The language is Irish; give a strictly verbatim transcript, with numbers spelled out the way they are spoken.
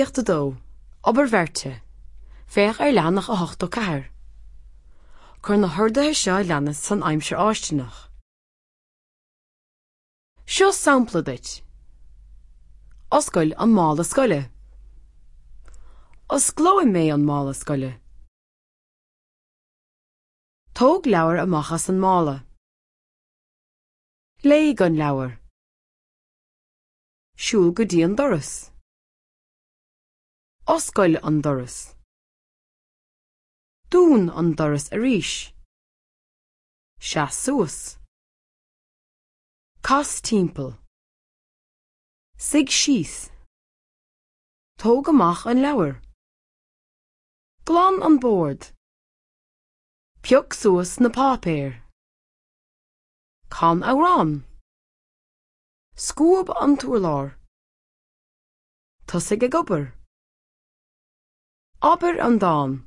Gníomhaíocht a dó, Obair bheirte. Féach ar leathanach a hochtó ceathair. Cuir na horduithe seo a leanas san aimsir fháistineach. Seo sampla duit. Oscail an mála scoile. Osclóidh mé an mála scoile. Tóg leabhar amach as an mála. Léigh an leabhar. Siúil go dtí an doras. Oscail an doras. Dún an doras arís. Seas suas. Cas timpeall. Suigh síos. Tóg amach an leabhar. Glan an bord. Pioc suas na páipéir. Can amhrán. Scuab an t-urlár. Tosaigh ag obair. Abair an dán.